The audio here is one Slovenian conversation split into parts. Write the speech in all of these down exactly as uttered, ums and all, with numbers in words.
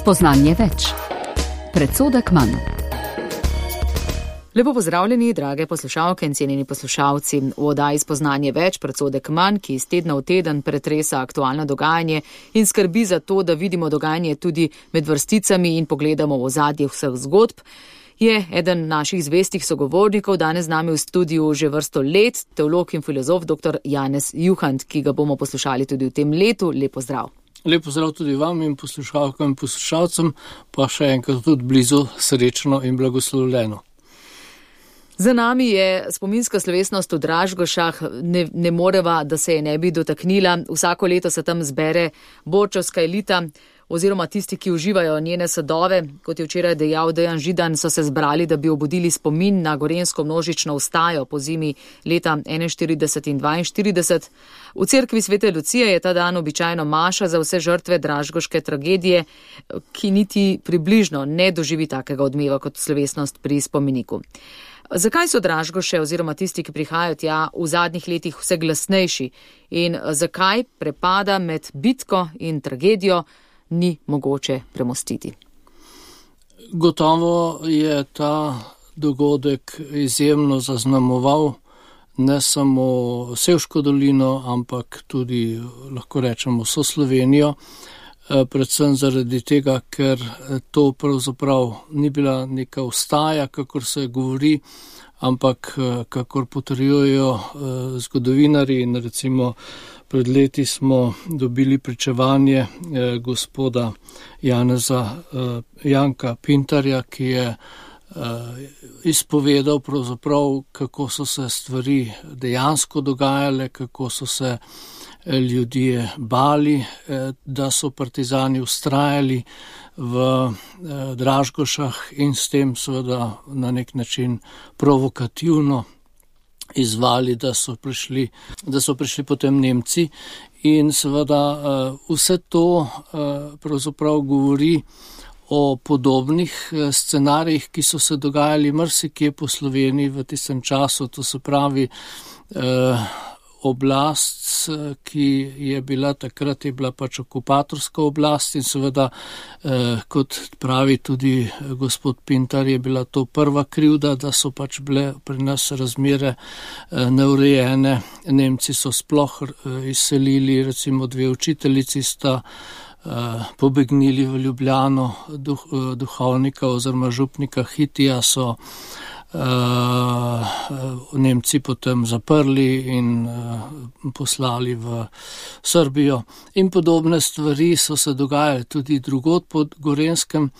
Spoznanje več. Predsodek manj. Lepo pozdravljeni, drage poslušalke in cenjeni poslušalci. V oddaji Spoznanje več, predsodek manj, ki iz tedna v teden pretresa aktualno dogajanje in skrbi za to, da vidimo dogajanje tudi med vrsticami in pogledamo v ozadje vseh zgodb, je eden naših zvestih sogovornikov, danes z nami v studiu že vrsto let, teolog in filozof dr. Janez Juhant, ki ga bomo poslušali tudi v tem letu. Lep pozdrav. Lep pozdrav tudi vam in poslušalkam in poslušalcem, pa še enkrat tudi blizu srečno in blagoslovljeno. Za nami je spominska slovesnost v Dražgošah, ne, ne moreva, da se je ne bi dotaknila. Vsako leto se tam zbere borčevska elita oziroma tisti, ki uživajo njene sadove. Kot je včeraj dejal Dejan Židan, so se zbrali, da bi obudili spomin na gorenjsko množično vstajo po zimi leta enainštirideset in dvainštirideset. V cerkvi Svete Lucije je ta dan običajno maša za vse žrtve dražgoške tragedije, ki niti približno ne doživi takega odmeva kot slovesnost pri spomeniku. Zakaj so Dražgoše oziroma tisti, ki prihajajo tja, v zadnjih letih vse glasnejši in zakaj prepada med bitko in tragedijo ni mogoče premostiti? Gotovo je ta dogodek izjemno zaznamoval ne samo Sevško dolino, ampak tudi, lahko rečemo, vso Slovenijo, predvsem zaradi tega, ker to pravzaprav ni bila neka vstaja, kakor se govori, ampak kakor potrjujejo zgodovinarji, in recimo pred leti smo dobili pričevanje gospoda Janeza Janka Pintarja, ki je izpovedal pravzaprav, kako so se stvari dejansko dogajale, kako so se ljudje bali, da so partizani vztrajali v Dražgošah in s tem seveda na nek način provokativno izvali, da so prišli, da so prišli potem Nemci. In seveda vse to pravzaprav govori o podobnih scenarijih, ki so se dogajali marsikje po Sloveniji v tistem času, to se pravi oblast, ki je bila takrat, je bila pač okupatorska oblast in seveda, eh, kot pravi tudi gospod Pintar, je bila to prva krivda, da so pač bile pri nas razmere eh, neurejene. Nemci so sploh eh, izselili, recimo dve učiteljici sta eh, pobegnili v Ljubljano, duh, eh, duhovnika oziroma župnika Hitija so Uh, Nemci potem zaprli in uh, poslali v Srbijo. In podobne stvari so se dogajale tudi drugod pod Gorenjskem.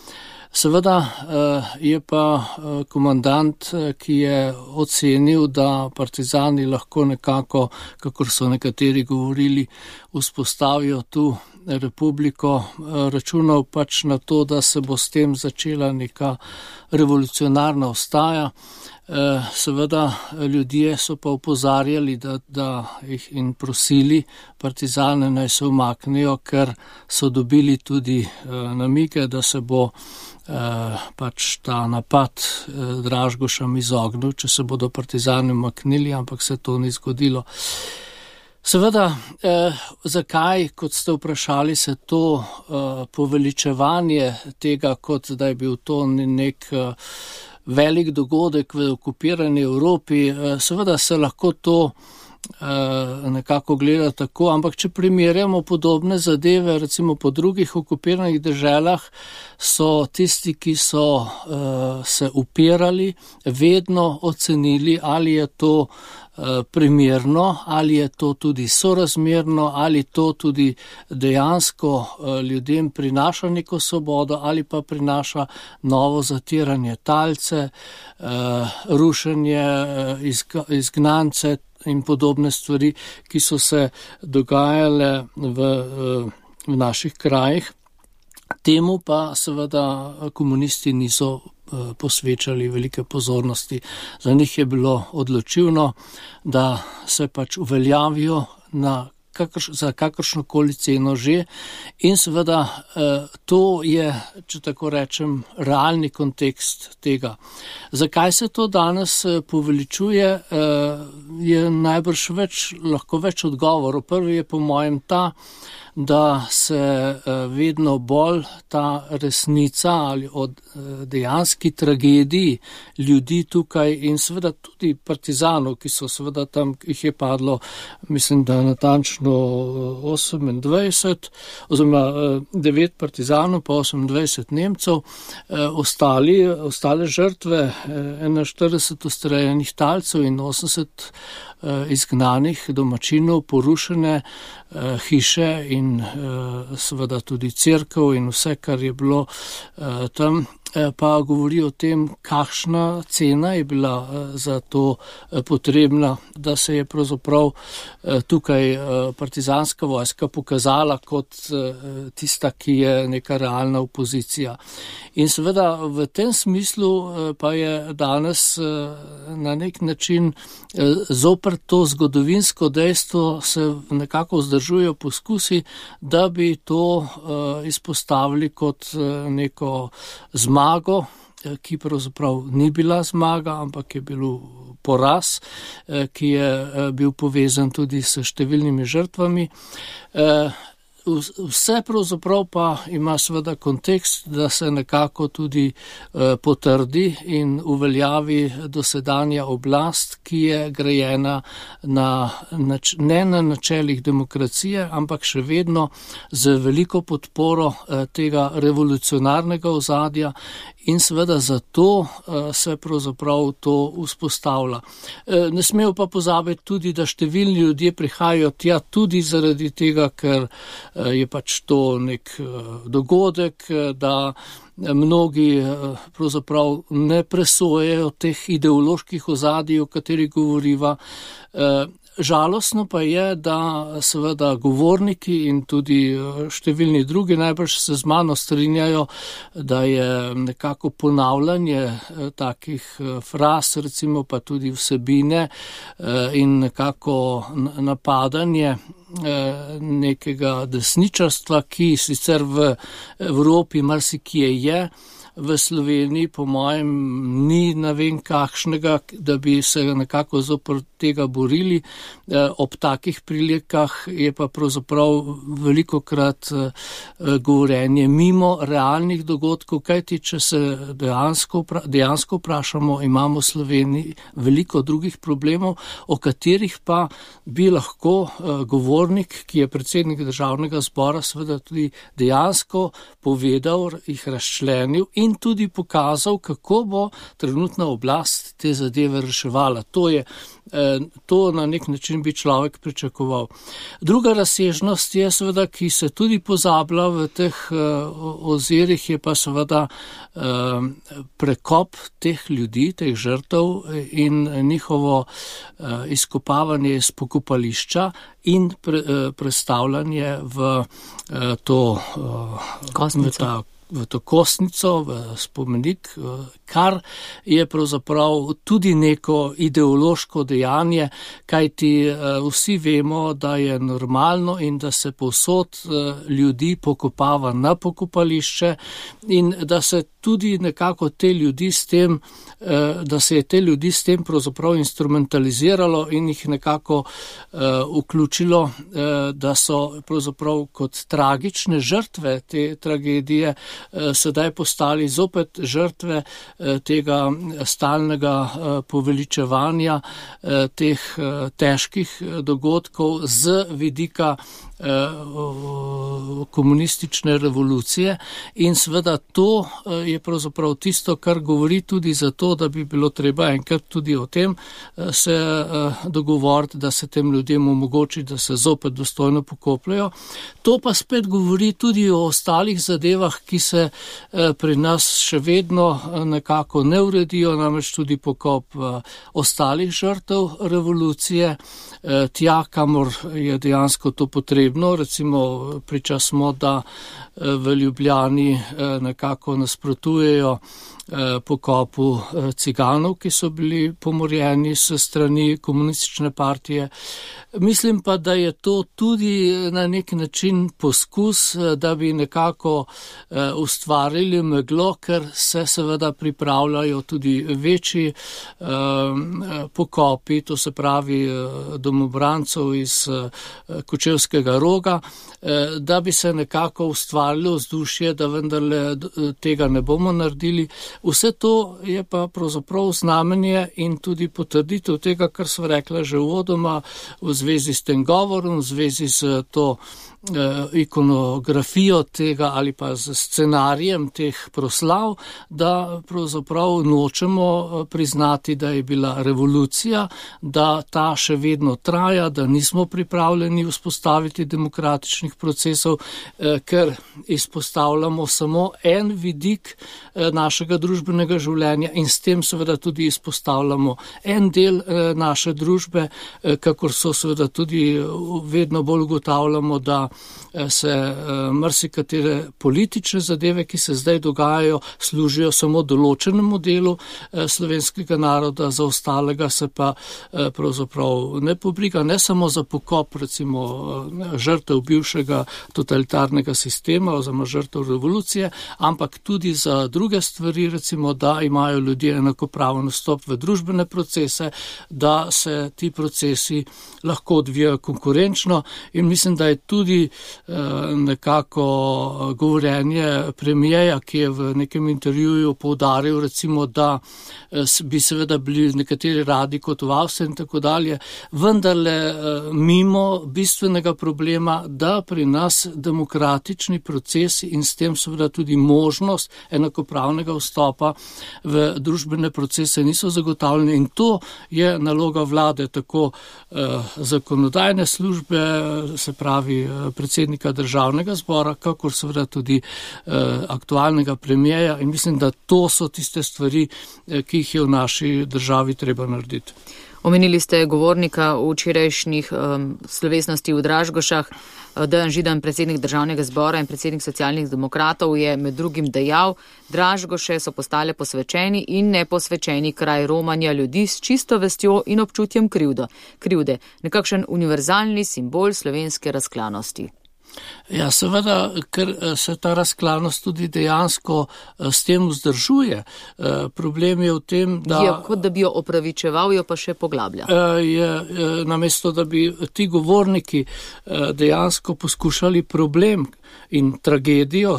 Seveda uh, je pa uh, komandant, ki je ocenil, da partizani lahko nekako, kakor so nekateri govorili, vzpostavijo tu republiko, računal pač na to, da se bo s tem začela neka revolucionarna vstaja. Seveda ljudje so pa opozarjali, da, da jih in prosili partizane naj se umaknejo, ker so dobili tudi namige, da se bo pač ta napad Dražgošam izognil, če se bodo partizani umaknili, ampak se to ni zgodilo. Seveda, eh, zakaj, kot ste vprašali, se to eh, poveličevanje tega, kot da je bil to nek eh, velik dogodek v okupirani Evropi, eh, seveda se lahko to eh, nekako gleda tako, ampak če primerjamo podobne zadeve, recimo po drugih okupiranih deželah, so tisti, ki so eh, se upirali, vedno ocenili, ali je to primerno, ali je to tudi sorazmerno, ali to tudi dejansko ljudem prinaša neko svobodo, ali pa prinaša novo zatiranje talce, rušenje izgnance in podobne stvari, ki so se dogajale v, v naših krajih. Temu pa seveda komunisti niso posvečali velike pozornosti. Za njih je bilo odločilno, da se pač uveljavijo na kakrš, za kakršnokoli ceno že in seveda to je, če tako rečem, realni kontekst tega. Zakaj se to danes poveličuje, je najbrž več, lahko več odgovorov. Prvi je po mojem ta, da se vedno bolj ta resnica ali o dejanski tragediji ljudi tukaj in seveda tudi partizanov, ki so seveda tam, jih je padlo, mislim, da natančno osemindvajset, oziroma devet partizanov pa osemindvajset Nemcev, ostali, ostale žrtve, enainštirideset ustreljenih talcev in osemdeset izgnanih domačinov, porušene hiše in seveda tudi cerkev in vse, kar je bilo tam, pa govori o tem, kakšna cena je bila za to potrebna, da se je pravzaprav tukaj partizanska vojska pokazala kot tista, ki je neka realna opozicija. In seveda v tem smislu pa je danes na nek način zoper to zgodovinsko dejstvo se nekako vzdržujejo poskusi, da bi to izpostavili kot neko zmago, ki pravzaprav ni bila zmaga, ampak je bil poraz, ki je bil povezan tudi s številnimi žrtvami. Vse pravzaprav pa ima seveda kontekst, da se nekako tudi eh, potrdi in uveljavi dosedanja oblast, ki je grajena na, nač, ne na načelih demokracije, ampak še vedno z veliko podporo eh, tega revolucionarnega ozadja in seveda zato eh, se pravzaprav to vzpostavlja. Eh, ne smejo pa pozabiti tudi, da številni ljudje prihajajo tja tudi zaradi tega, ker je pač to nek dogodek, da mnogi pravzaprav ne presojejo teh ideoloških ozadij, o katerih govoriva. Žalostno pa je, da seveda govorniki in tudi številni drugi najbrž se z mano strinjajo, da je nekako ponavljanje takih fraz, recimo pa tudi vsebine in nekako napadanje nekega desničarstva, ki sicer v Evropi marsikje je, v Sloveniji po mojem ni ne vem kakšnega, da bi se nekako zoper tega borili. Ob takih prilikah je pa pravzaprav velikokrat govorenje mimo realnih dogodkov, kajti če se dejansko, dejansko vprašamo, imamo v Sloveniji veliko drugih problemov, o katerih pa bi lahko govornik, ki je predsednik Državnega zbora, seveda tudi dejansko povedal, jih razčlenil in in tudi pokazal, kako bo trenutna oblast te zadeve reševala. To je, to na nek način bi človek pričakoval. Druga razsežnost je seveda, ki se tudi pozablja v teh ozirih, je pa seveda prekop teh ljudi, teh žrtev in njihovo izkopavanje iz pokopališča in pre, prestavljanje v to kostnico. v to kostnico, v spomenik, kar je pravzaprav tudi neko ideološko dejanje, kajti vsi vemo, da je normalno in da se povsod ljudi pokopava na pokopališče in da se tudi nekako te ljudi s tem, da se je te ljudi s tem pravzaprav instrumentaliziralo in jih nekako vključilo, da so pravzaprav kot tragične žrtve te tragedije sedaj postali zopet žrtve tega stalnega poveličevanja teh težkih dogodkov z vidika komunistične revolucije in seveda to je pravzaprav tisto, kar govori tudi za to, da bi bilo treba enkrat tudi o tem se dogovoriti, da se tem ljudem omogoči, da se zopet dostojno pokopljajo. To pa spet govori tudi o ostalih zadevah, ki se pri nas še vedno nekako ne uredijo, namreč tudi pokop ostalih žrtev revolucije, tja, kamor je dejansko to potrebno. Recimo priča smo, da v Ljubljani nekako nasprotujejo pokopu ciganov, ki so bili pomorjeni s strani komunistične partije. Mislim pa, da je to tudi na nek način poskus, da bi nekako ustvarili meglo, ker se seveda pripravljajo tudi večji pokopi, to se pravi domobrancov iz Kočevskega Roga, da bi se nekako ustvarilo vzdušje, da vendarle tega ne bomo naredili. Vse to je pa pravzaprav znamenje in tudi potrditev tega, kar sva rekla že uvodoma v zvezi s tem govorom, v zvezi s to ikonografijo tega ali pa z scenarijem teh proslav, da pravzaprav nočemo priznati, da je bila revolucija, da ta še vedno traja, da nismo pripravljeni vzpostaviti demokratičnih procesov, ker izpostavljamo samo en vidik našega družbenega življenja in s tem seveda tudi izpostavljamo en del naše družbe, kakor so seveda tudi vedno bolj ugotavljamo, da se marsikatere politične zadeve, ki se zdaj dogajajo, služijo samo določenemu delu slovenskega naroda, za ostalega se pa pravzaprav ne pobriga, ne samo za pokop recimo žrtev bivšega totalitarnega sistema oziroma žrtev revolucije, ampak tudi za druge stvari, recimo, da imajo ljudje enakopraven vstop v družbene procese, da se ti procesi lahko odvijajo konkurenčno in mislim, da je tudi nekako govorjenje premijeja, ki je v nekem intervjuju poudaril, recimo, da bi seveda bili nekateri radi kot v Avstriji in tako dalje, vendarle mimo bistvenega problema, da pri nas demokratični procesi in s tem seveda tudi možnost enakopravnega vstopa v družbene procese niso zagotavljeni in to je naloga vlade, tako zakonodajne službe, se pravi predsednika državnega zbora, kakor seveda tudi eh, aktualnega premijeja in mislim, da to so tiste stvari, eh, ki jih je v naši državi treba narediti. Omenili ste govornika v včerajšnjih um, slovesnosti v Dražgošah. Dejan Židan, predsednik državnega zbora in predsednik socialnih demokratov, je med drugim dejal, Dražgoše so postale posvečeni in neposvečeni kraj romanja ljudi s čisto vestjo in občutjem krivdo, krivde, nekakšen univerzalni simbol slovenske razklanosti. Ja, seveda, ker se ta razklanost tudi dejansko s tem vzdržuje. Problem je v tem, da... Je kot da bi jo opravičeval, jo pa še poglablja. Je, namesto, da bi ti govorniki dejansko poskušali problem in tragedijo,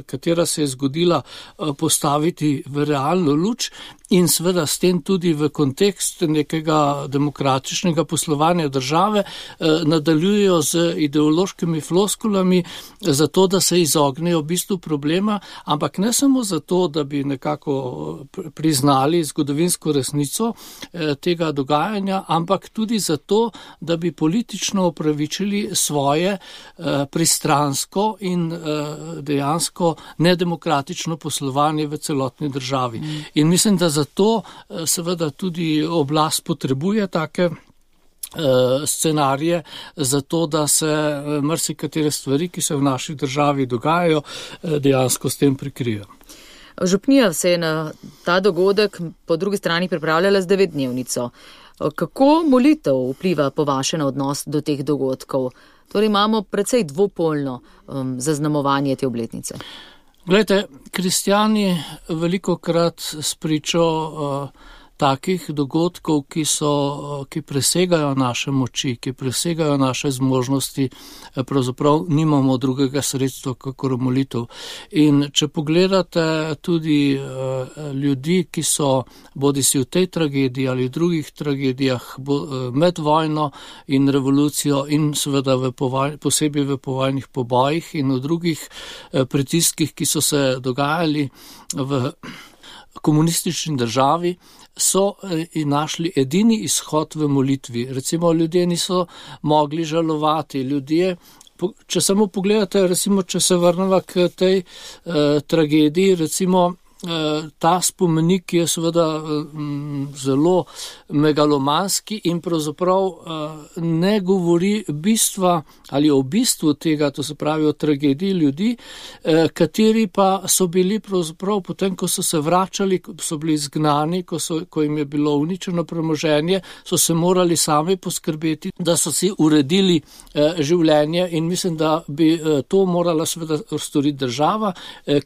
katera se je zgodila, postaviti v realno luč in seveda s tem tudi v kontekst nekega demokratičnega poslovanja države, nadaljujejo z ideološkimi floskulami zato, da se izognejo bistvu problema, ampak ne samo zato, da bi nekako priznali zgodovinsko resnico tega dogajanja, ampak tudi zato, da bi politično opravičili svoje pristransko in dejansko nedemokratično poslovanje v celotni državi. In mislim, da zato seveda tudi oblast potrebuje take scenarije, zato da se marsikatere stvari, ki se v naši državi dogajajo, dejansko s tem prikrijo. Župnija se je na ta dogodek po drugi strani pripravljala z devetdnevnico. Kako molitev vpliva po vaše na odnos do teh dogodkov? Torej imamo precej dvopolno um, zaznamovanje te obletnice. Glejte, kristjani velikokrat spričo uh, takih dogodkov, ki so, ki presegajo naše moči, ki presegajo naše zmožnosti, pravzaprav nimamo drugega sredstva, kakor molitev. In če pogledate tudi uh, ljudi, ki so bodisi v tej tragediji ali v drugih tragedijah bo, uh, med vojno in revolucijo in seveda v povaj, posebej v povojnih pobojih in v drugih uh, pritiskih, ki so se dogajali v komunistični državi, so in našli edini izhod v molitvi. Recimo, ljudje niso mogli žalovati, ljudje, če samo pogledate, recimo, če se vrnemo k tej eh, tragediji, recimo, ta spomenik je seveda zelo megalomanski in pravzaprav ne govori bistva ali o bistvu tega, to se pravi o tragediji ljudi, kateri pa so bili pravzaprav potem, ko so se vračali, so bili izgnani, ko, so, ko jim je bilo uničeno premoženje, so se morali sami poskrbeti, da so si uredili življenje in mislim, da bi to morala seveda storiti država,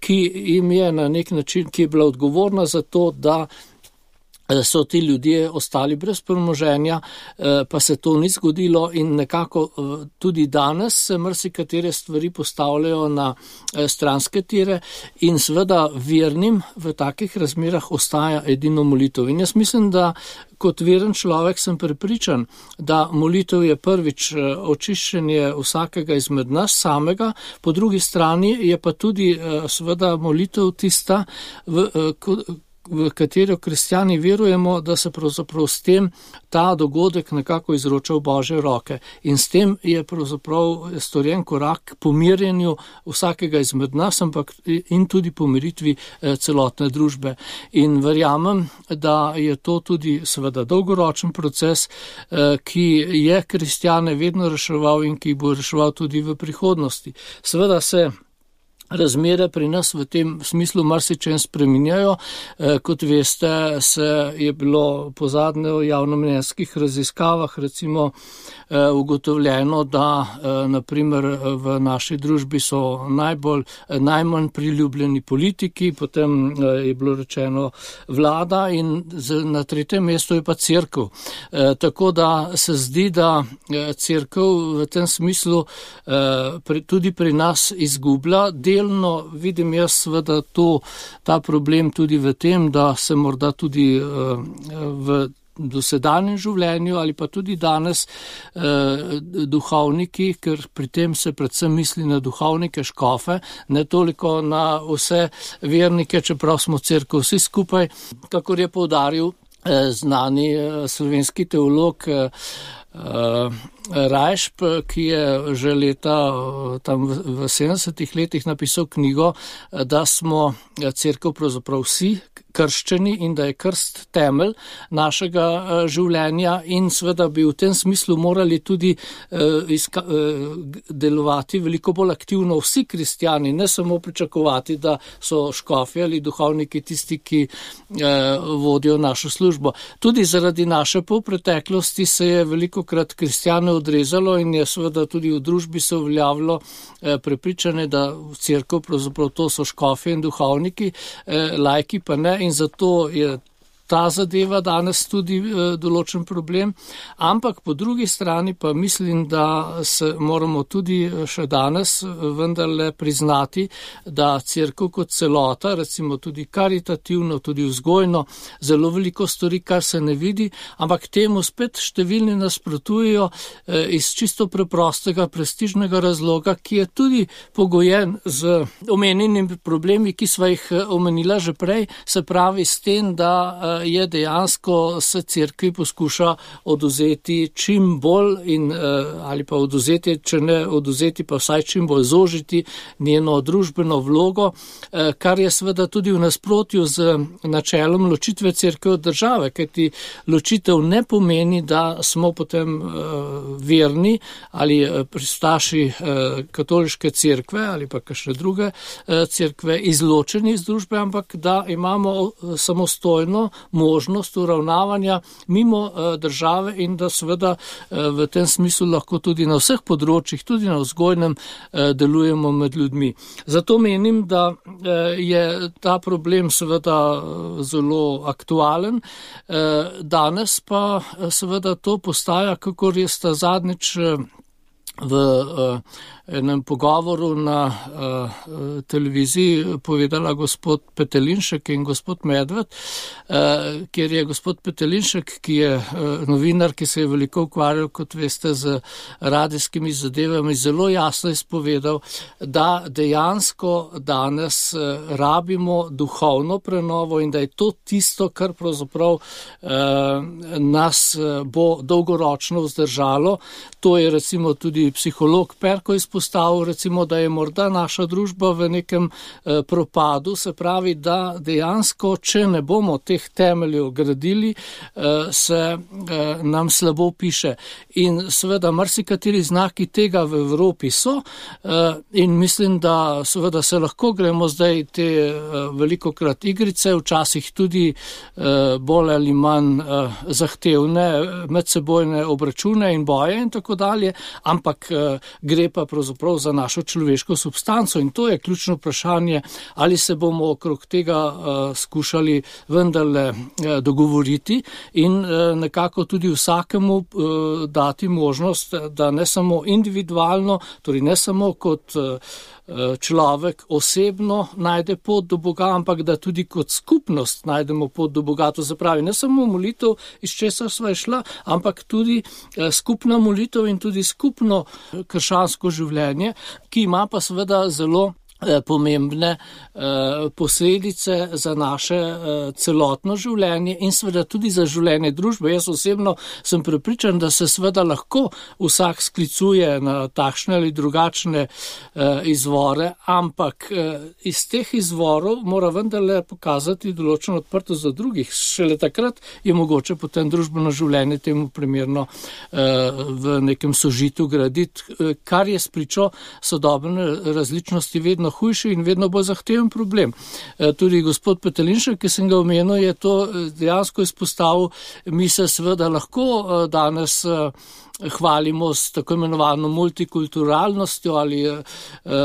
ki jim je na nek način, ki je bila odgovorna za to, da so ti ljudje ostali brez premoženja, pa se to ni zgodilo in nekako tudi danes se marsikatere stvari postavljajo na stranske tire in seveda vernim v takih razmerah ostaja edino molitev. In jaz mislim, da kot veren človek sem prepričan, da molitev je prvič očiščenje vsakega izmed nas samega, po drugi strani je pa tudi seveda molitev tista, v, v katero kristjani verujemo, da se pravzaprav s tem ta dogodek nekako izroča v Božje roke. In s tem je pravzaprav storjen korak k pomirjenju vsakega izmed nas, ampak in tudi pomiritvi celotne družbe. In verjamem, da je to tudi seveda dolgoročen proces, ki je kristjane vedno reševal in ki bo reševal tudi v prihodnosti. Seveda se razmere pri nas v tem smislu marsičem spreminjajo. Kot veste, se je bilo po zadnje v javnomnenjskih raziskavah recimo ugotovljeno, da naprimer v naši družbi so najbolj, najmanj priljubljeni politiki, potem je bilo rečeno vlada in na tretjem mestu je pa cerkev. Tako da se zdi, da cerkev v tem smislu tudi pri nas izgublja. Delno vidim jaz seveda to, ta problem tudi v tem, da se morda tudi v dosedanjem življenju ali pa tudi danes eh, duhovniki, ker pri tem se predvsem misli na duhovnike, škofe, ne toliko na vse vernike, čeprav smo cerkev vsi skupaj, kakor je poudaril eh, znani eh, slovenski teolog eh, Rajšp, ki je že leta tam v sedemdesetih letih napisal knjigo, da smo cerkev pravzaprav vsi krščeni in da je krst temelj našega življenja in seveda bi v tem smislu morali tudi izka, delovati veliko bolj aktivno vsi kristjani, ne samo pričakovati, da so škofi ali duhovniki tisti, ki vodijo našo službo. Tudi zaradi naše polpreteklosti se je velikokrat kristjane odrezalo in je seveda tudi v družbi se uveljavilo prepričanje, da v cerkev pravzaprav to so škofi in duhovniki, laiki pa ne. In zato je ta zadeva danes tudi e, določen problem, ampak po drugi strani pa mislim, da se moramo tudi še danes vendarle priznati, da cerkev kot celota, recimo tudi karitativno, tudi vzgojno, zelo veliko stori, kar se ne vidi, ampak temu spet številni nasprotujejo e, iz čisto preprostega prestižnega razloga, ki je tudi pogojen z omenjenimi problemi, ki sva jih omenila že prej, se pravi s tem, da e, je dejansko se cerkvi poskuša oduzeti čim bolj in, ali pa oduzeti, če ne oduzeti, pa vsaj čim bolj zožiti njeno družbeno vlogo, kar je seveda tudi v nasprotju z načelom ločitve cerkve od države, kajti ločitev ne pomeni, da smo potem verni ali pristaši katoliške cerkve ali pa kakšne druge cerkve izločeni iz družbe, ampak da imamo samostojno možnost uravnavanja mimo uh, države in da seveda uh, v tem smislu lahko tudi na vseh področjih, tudi na vzgojnem, uh, delujemo med ljudmi. Zato menim, da uh, je ta problem seveda uh, zelo aktualen. Uh, danes pa uh, seveda to postaja, kakor je sta zadnjič uh, v uh, enem pogovoru na uh, televiziji povedala gospod Petelinšek in gospod Medved, uh, kjer je gospod Petelinšek, ki je uh, novinar, ki se je veliko ukvarjal, kot veste, z radijskimi zadevami, zelo jasno izpovedal, da dejansko danes uh, rabimo duhovno prenovo in da je to tisto, kar pravzaprav uh, nas uh, bo dolgoročno vzdržalo. To je recimo tudi tudi psiholog Perko izpostavil, recimo, da je morda naša družba v nekem eh, propadu, se pravi, da dejansko, če ne bomo teh temeljev gradili, eh, se eh, nam slabo piše. In seveda marsikateri znaki tega v Evropi so eh, in mislim, da seveda se lahko gremo zdaj te eh, velikokrat igrice, včasih tudi eh, bolj ali manj eh, zahtevne medsebojne obračune in boje in tako dalje, ampak eh, gre pa pravzaprav za našo človeško substanco in to je ključno vprašanje, ali se bomo okrog tega eh, skušali vendarle eh, dogovoriti in eh, nekako tudi vsakemu eh, dati možnost, da ne samo individualno, torej ne samo kot eh, človek osebno najde pot do Boga, ampak da tudi kot skupnost najdemo pot do Boga. To se pravi, ne samo molitev, iz česar sva išla, ampak tudi skupna molitev in tudi skupno krščansko življenje, ki ima pa seveda zelo pomembne eh, posledice za naše eh, celotno življenje in seveda tudi za življenje družbe. Jaz osebno sem prepričan, da se seveda lahko vsak sklicuje na takšne ali drugačne eh, izvore, ampak eh, iz teh izvorov mora vendarle pokazati določeno odprtost za drugih. Šele takrat je mogoče potem družbeno življenje temu primerno eh, v nekem sožitju graditi, eh, kar je spričo sodobne različnosti vedno hujši in vedno bolj zahteven problem. Tudi gospod Petelinšek, ki sem ga omenil, je to dejansko izpostavil. Mi se seveda lahko danes hvalimo s tako imenovano multikulturalnostjo ali eh,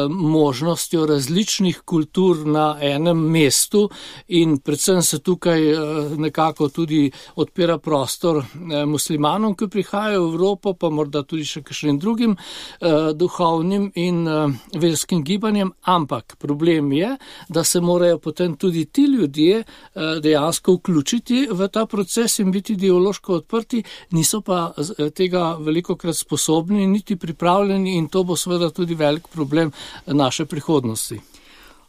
možnostjo različnih kultur na enem mestu in predvsem se tukaj eh, nekako tudi odpira prostor eh, muslimanom, ki prihajajo v Evropo, pa morda tudi še kakšnim drugim eh, duhovnim in eh, verskim gibanjem, ampak problem je, da se morajo potem tudi ti ljudje eh, dejansko vključiti v ta proces in biti ideološko odprti, niso pa eh, tega velikokrat sposobni, niti pripravljeni in to bo seveda tudi velik problem naše prihodnosti.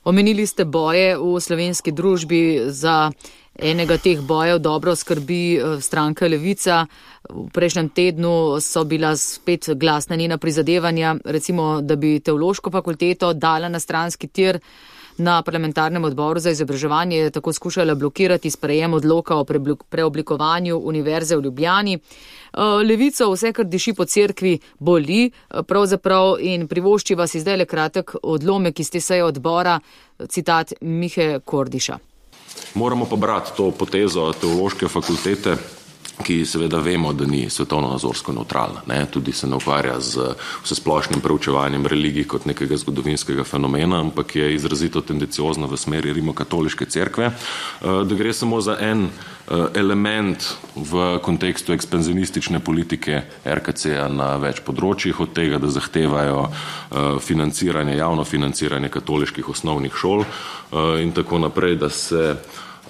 Omenili ste boje v slovenski družbi, za enega teh bojev dobro skrbi stranka Levica. V prejšnjem tednu so bila spet glasna njena prizadevanja, recimo, da bi teološko fakulteto dala na stranski tir. Na parlamentarnem odboru za izobraževanje je tako skušala blokirati sprejem odloka o preoblikovanju Univerze v Ljubljani. Levico vse, kar diši po cerkvi, boli pravzaprav in privoščiva si zdaj le kratek odlomek iz te seje odbora, citat Mihe Kordiša. Moramo pa brati to potezo teološke fakultete, ki seveda vemo, da ni svetovno-nazorsko neutralna. Ne? Tudi se ne ukvarja z vsesplošnim preučevanjem religij kot nekega zgodovinskega fenomena, ampak je izrazito tendenciozna v smeri rimokatoliške cerkve, da gre samo za en element v kontekstu ekspanzionistične politike er ka ce-ja na več področjih, od tega, da zahtevajo financiranje, javno financiranje katoliških osnovnih šol in tako naprej, da se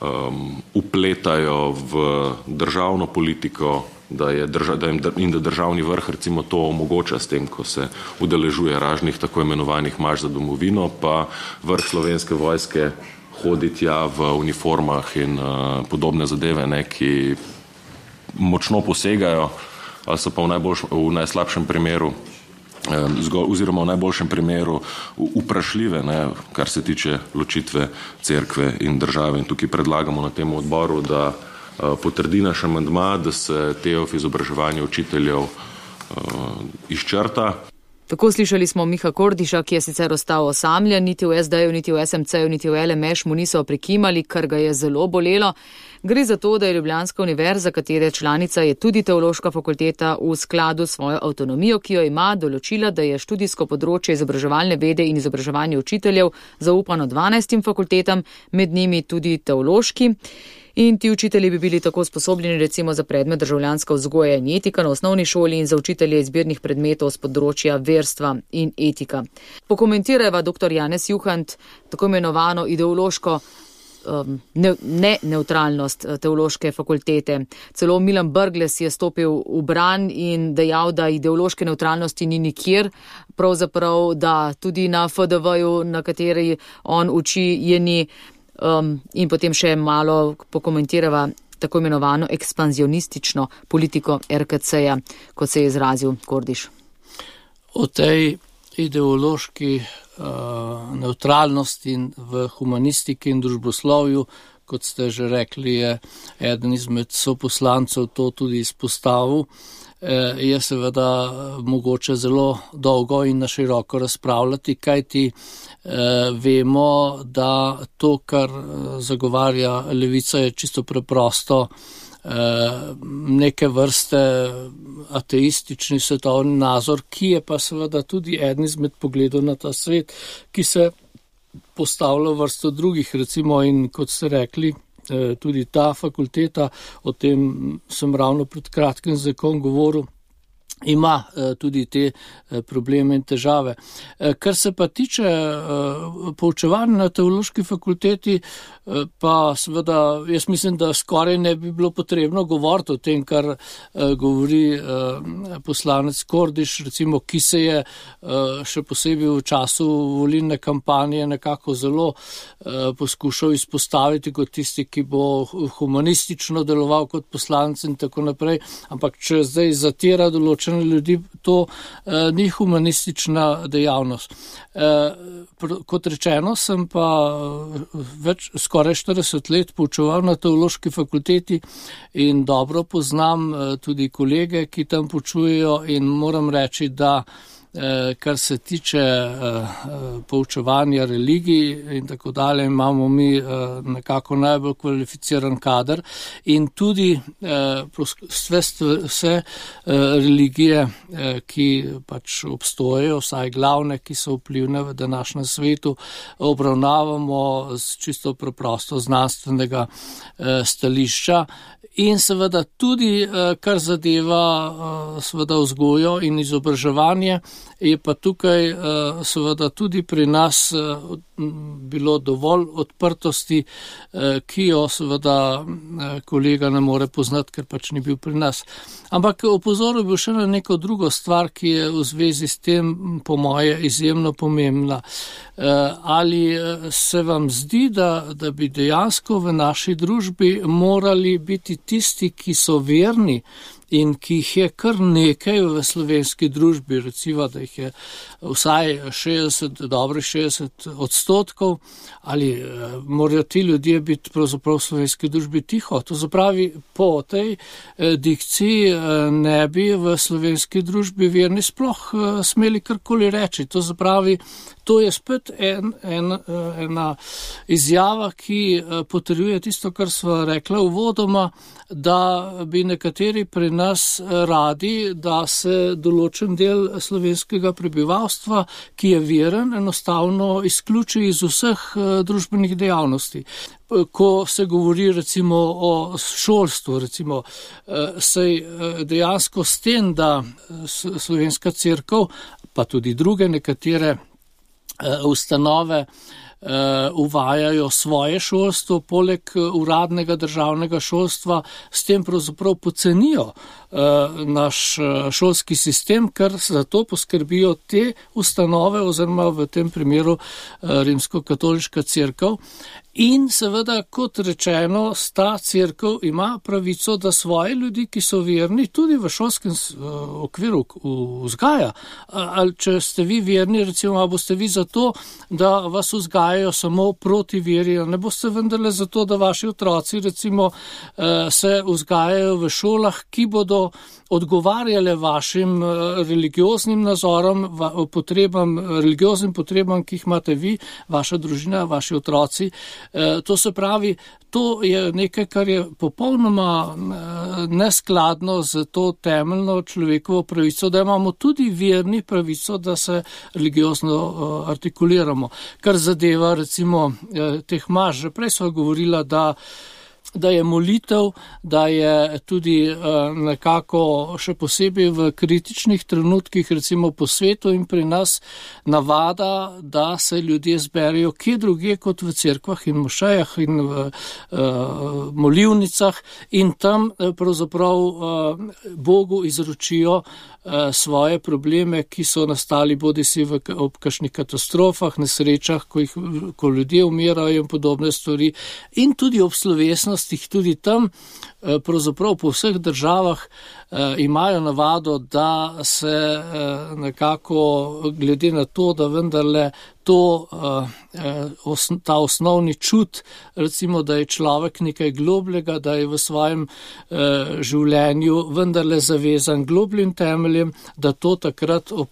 Um, upletajo v državno politiko, da je drža, da jim, in da državni vrh recimo to omogoča s tem, ko se udeležuje raznih tako imenovanih marš za domovino, pa vrh Slovenske vojske hodi tja v uniformah in uh, podobne zadeve, ne, ki močno posegajo, ali so pa v, najboljš, v najslabšem primeru oziroma v najboljšem primeru vprašljive, ne, kar se tiče ločitve cerkve in države. In tukaj predlagamo na tem odboru, da uh, potrdi naš amandma, da se T E F izobraževanje učiteljev uh, izčrta. Tako slišali smo Miha Kordiša, ki je sicer ostal osamljen, niti v es de-ju, niti v es em ce-ju, niti v el em eš mu niso prikimali, kar ga je zelo bolelo. Gre za to, da je Ljubljanska univerza, katere članica je tudi teološka fakulteta, v skladu s svojo avtonomijo, ki jo ima, določila, da je študijsko področje izobraževalne vede in izobraževanje učiteljev zaupano dvanajstim fakultetam, med njimi tudi teološki. In ti učitelji bi bili tako sposobljeni recimo za predmet državljanska vzgoja in etika na osnovni šoli in za učitelje izbirnih predmetov z področja verstva in etika. Pokomentirajva dr. Janez Juhant tako imenovano ideološko um, ne, ne neutralnost teološke fakultete. Celo Milan Brglez je stopil v bran in dejal, da ideološke neutralnosti ni nikjer, pravzaprav, da tudi na F de ve-ju, na kateri on uči, je ni. Um, in potem še malo pokomentirava tako imenovano ekspanzionistično politiko er ka ce-ja, kot se je izrazil Kordiš. o tej ideološki uh, neutralnosti v humanistiki in družboslovju, kot ste že rekli, je eden izmed soposlancev to tudi izpostavil, eh, je seveda mogoče zelo dolgo in na široko razpravljati, kajti eh, vemo, da to, kar zagovarja levica, je čisto preprosto neke vrste ateistični svetovni nazor, ki je pa seveda tudi eden izmed pogledov na ta svet, ki se postavlja vrsto drugih, recimo, in kot ste rekli, tudi ta fakulteta, o tem sem ravno pred kratkim z nekom govoril, ima tudi te probleme in težave. Kar se pa tiče poučevanja na teološki fakulteti, pa seveda jaz mislim, da skoraj ne bi bilo potrebno govoriti o tem, kar govori poslanec Kordiš, recimo, ki se je še posebej v času volilne kampanje nekako zelo poskušal izpostaviti kot tisti, ki bo humanistično deloval kot poslanec in tako naprej, ampak če zdaj zatira določen ljudi, to eh, ni humanistična dejavnost. Eh, pr, kot rečeno, sem pa več, skoraj štirideset let poučeval na teološki fakulteti in dobro poznam eh, tudi kolege, ki tam poučujejo, in moram reči, da eh, kar se tiče eh, poučevanja religij in tako dalje, imamo mi eh, nekako najbolj kvalificiran kader in tudi eh, vse, vse eh, religije, eh, ki pač obstojejo, vsaj glavne, ki so vplivne v današnjem svetu, obravnavamo z čisto preprosto znanstvenega eh, stališča. In seveda tudi, kar zadeva seveda vzgojo in izobraževanje, je pa tukaj seveda tudi pri nas bilo dovolj odprtosti, ki jo seveda kolega ne more poznati, ker pač ni bil pri nas. Ampak opozoril bi še na neko drugo stvar, ki je v zvezi s tem po moje izjemno pomembna. Ali se vam zdi, da, da bi dejansko v naši družbi morali biti tisti, ki so verni in ki jih je kar nekaj v slovenski družbi, recimo, da jih je vsaj šestdeset, dobrih šestdeset odstotkov, ali morajo ti ljudje biti pravzaprav v slovenski družbi tiho. To zapravi, po tej dikciji ne bi v slovenski družbi verni sploh smeli karkoli reči. To zapravi, to je spet en, en, ena izjava, ki potrjuje tisto, kar sva rekla uvodoma, da bi nekateri pri nas radi, da se določen del slovenskega prebivalstva, ki je veren, enostavno izključi iz vseh družbenih dejavnosti. Ko se govori recimo o šolstvu, recimo, sej dejansko s tem, da Slovenska cerkev, pa tudi druge nekatere ustanove uvajajo svoje šolstvo, poleg uradnega državnega šolstva, s tem pravzaprav pocenijo naš šolski sistem, ker za to poskrbijo te ustanove oziroma v tem primeru Rimsko-katoliška cerkev. In seveda, kot rečeno, sta cerkev ima pravico, da svoje ljudi, ki so verni, tudi v šolskem okviru vzgaja. Ali če ste vi verni, recimo, boste vi za to, da vas vzgajajo samo proti veri, ne boste vendarle za to, da vaši otroci, recimo, se vzgajajo v šolah, ki bodo odgovarjale vašim religioznim nazorom, potrebam, religioznim potrebam, ki jih imate vi, vaša družina, vaši otroci. To se pravi, to je nekaj, kar je popolnoma neskladno z to temeljno človekovo pravico, da imamo tudi verni pravico, da se religiozno artikuliramo. Kar zadeva recimo teh maš, že prej sva govorila, da da je molitev, da je tudi nekako še posebej v kritičnih trenutkih, recimo po svetu in pri nas, navada, da se ljudje zberijo kje drugje kot v cerkvah in mošejah in v molivnicah in tam pravzaprav Bogu izročijo svoje probleme, ki so nastali bodisi v, ob kakšnih katastrofah, nesrečah, ko, jih, ko ljudje umirajo in podobne stvari, in tudi ob slovesnosti, skupnostih tudi tam, pravzaprav po vseh državah imajo navado, da se nekako glede na to, da vendarle to, ta osnovni čut, recimo, da je človek nekaj globljega, da je v svojem življenju vendarle zavezan globljim temeljem, da to takrat ob,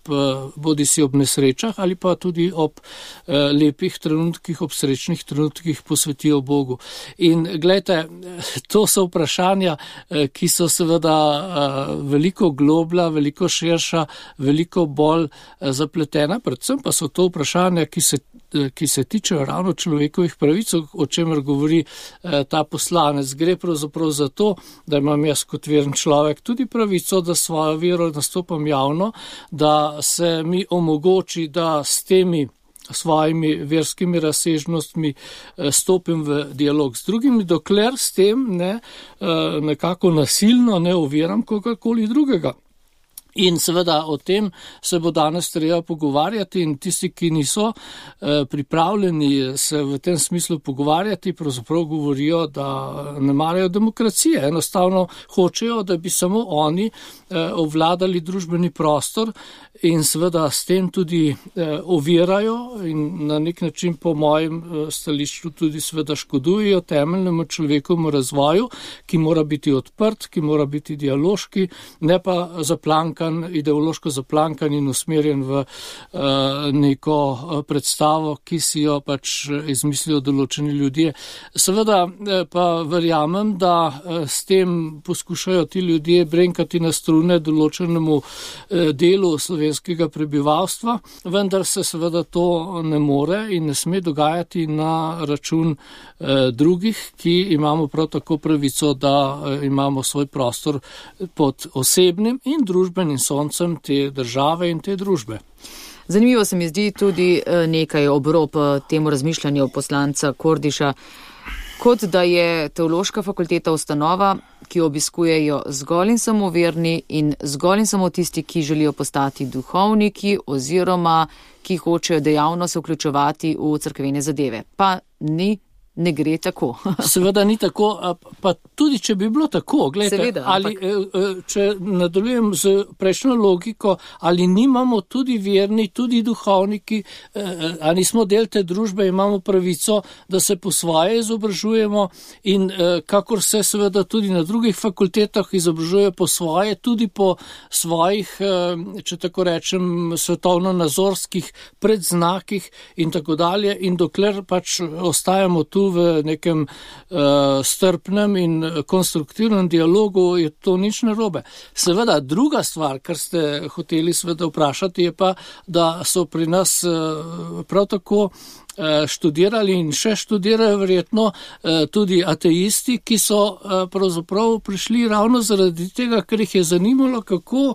bodi si ob nesrečah ali pa tudi ob lepih trenutkih, ob srečnih trenutkih posvetijo Bogu. In gledajte, to so vprašanja, ki so seveda veliko globlja, veliko širša, veliko bolj zapletena, predvsem pa so to vprašanja, ki se, ki se tičejo ravno človekovih pravic, o čemer govori ta poslanec. Gre pravzaprav za to, da imam jaz kot veren človek tudi pravico, da svojo vero nastopam javno, da se mi omogoči, da s temi svojimi verskimi razsežnostmi stopim v dialog z drugimi, dokler s tem ne, nekako nasilno ne oviram kogarkoli drugega. In seveda o tem se bo danes treba pogovarjati in tisti, ki niso eh, pripravljeni se v tem smislu pogovarjati, pravzaprav govorijo, da ne marajo demokracije. Enostavno hočejo, da bi samo oni eh, ovladali družbeni prostor in seveda s tem tudi eh, ovirajo in na nek način po mojem eh, stališču tudi seveda škodujejo temeljnemu človekovemu razvoju, ki mora biti odprt, ki mora biti dialoški, ne pa zaplankan, ideološko zaplankan in usmerjen v uh, neko predstavo, ki si jo pač izmislijo določeni ljudje. Seveda pa verjamem, da s tem poskušajo ti ljudje brenkati na strune določenemu uh, delu slovenskega prebivalstva, vendar se seveda to ne more in ne sme dogajati na račun uh, drugih, ki imamo prav tako pravico, da uh, imamo svoj prostor pod osebnim in družbenim soncem te države in te družbe. Zanimivo se mi zdi tudi nekaj obrob temu razmišljanju poslanca Kordiša, kot da je teološka fakulteta ustanova, ki obiskujejo zgolj in samo verni in zgolj in samo tisti, ki želijo postati duhovniki oziroma ki hočejo dejavno se vključevati v cerkvene zadeve. Pa ni Ne gre tako. Seveda ni tako, pa tudi če bi bilo tako, gledajte, Seveda, ali, ampak... če nadaljujem z prejšnjo logiko, ali nimamo tudi verni, tudi duhovniki, ali nismo del te družbe, imamo pravico, da se po svoje izobražujemo in kakor se seveda tudi na drugih fakultetah izobražuje po svoje, tudi po svojih, če tako rečem, svetovno-nazorskih predznakih in tako dalje, in dokler pač ostajamo tu v nekem uh, strpnem in konstruktivnem dialogu, je to nič narobe. Seveda, druga stvar, kar ste hoteli seveda vprašati, je pa, da so pri nas uh, prav tako študirali in še študirajo verjetno tudi ateisti, ki so pravzaprav prišli ravno zaradi tega, ker jih je zanimalo, kako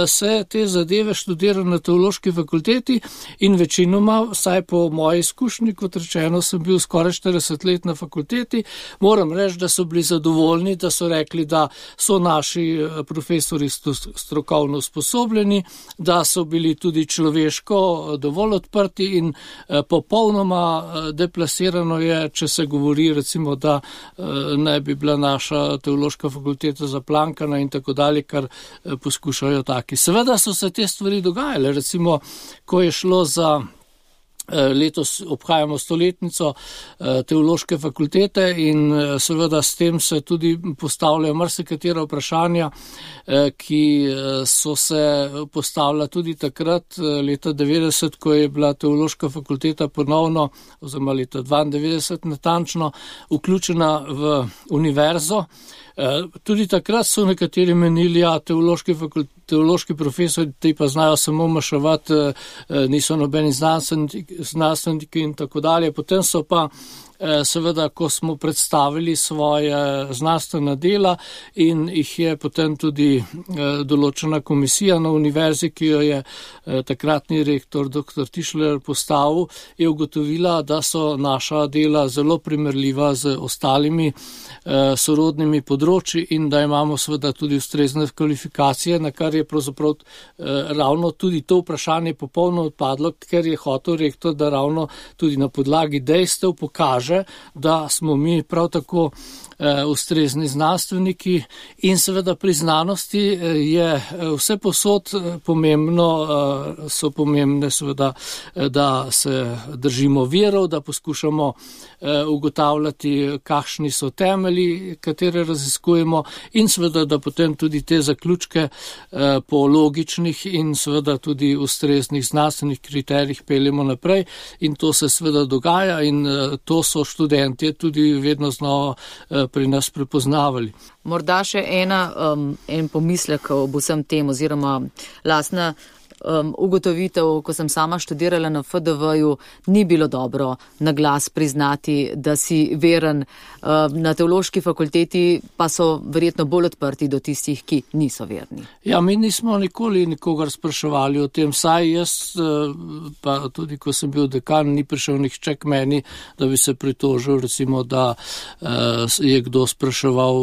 se te zadeve študirajo na teološki fakulteti in večinoma, vsaj po moji izkušnji, kot rečeno, sem bil skoraj štirideset let na fakulteti, moram reči, da so bili zadovoljni, da so rekli, da so naši profesori strokovno usposobljeni, da so bili tudi človeško dovolj odprti in popolno deplasirano je, če se govori recimo, da ne bi bila naša teološka fakulteta zaplankana in tako dalje, kar poskušajo taki. Seveda so se te stvari dogajale, recimo, ko je šlo za letos obhajamo stoletnico teološke fakultete in seveda s tem se tudi postavljajo marsikatera vprašanja, ki so se postavila tudi takrat, leta devetdeset, ko je bila teološka fakulteta ponovno, oziroma leta dvaindevetdeset natančno, vključena v univerzo. Tudi takrat so nekateri menili, ja, teološki, fakult, teološki profesori, ti pa znajo samo maševati, niso nobeni znanstveniki, znanstveniki in tako dalje. Potem so pa seveda, ko smo predstavili svoje znanstvena dela in jih je potem tudi določena komisija na univerzi, ki jo je takratni rektor doktor Tišler postavil, je ugotovila, da so naša dela zelo primerljiva z ostalimi sorodnimi področji in da imamo seveda tudi ustrezne kvalifikacije, na kar je pravzaprav ravno tudi to vprašanje popolno odpadlo, ker je hotel rektor, da ravno tudi na podlagi dejstev pokaže, da smo mi prav tako ustrezni znanstveniki in seveda pri znanosti je vse posod pomembno, so pomembne seveda, da se držimo virov, da poskušamo ugotavljati, kakšni so temelji, katere raziskujemo in seveda, da potem tudi te zaključke po logičnih in seveda tudi ustreznih znanstvenih kriterijih peljemo naprej in to se seveda dogaja in to so študentje tudi vedno znova pri nas prepoznavali. Morda še ena, um, en pomislek ob vsem tem oziroma lastna Um, ugotovitev, ko sem sama študirala na F D V-ju, ni bilo dobro na glas priznati, da si veren. Um, na teološki fakulteti pa so verjetno bolj odprti do tistih, ki niso verni. Ja, mi nismo nikoli nikogar spraševali o tem, saj jaz, pa tudi ko sem bil dekan, ni prišel nihče k meni, da bi se pritožil, recimo, da uh, je kdo spraševal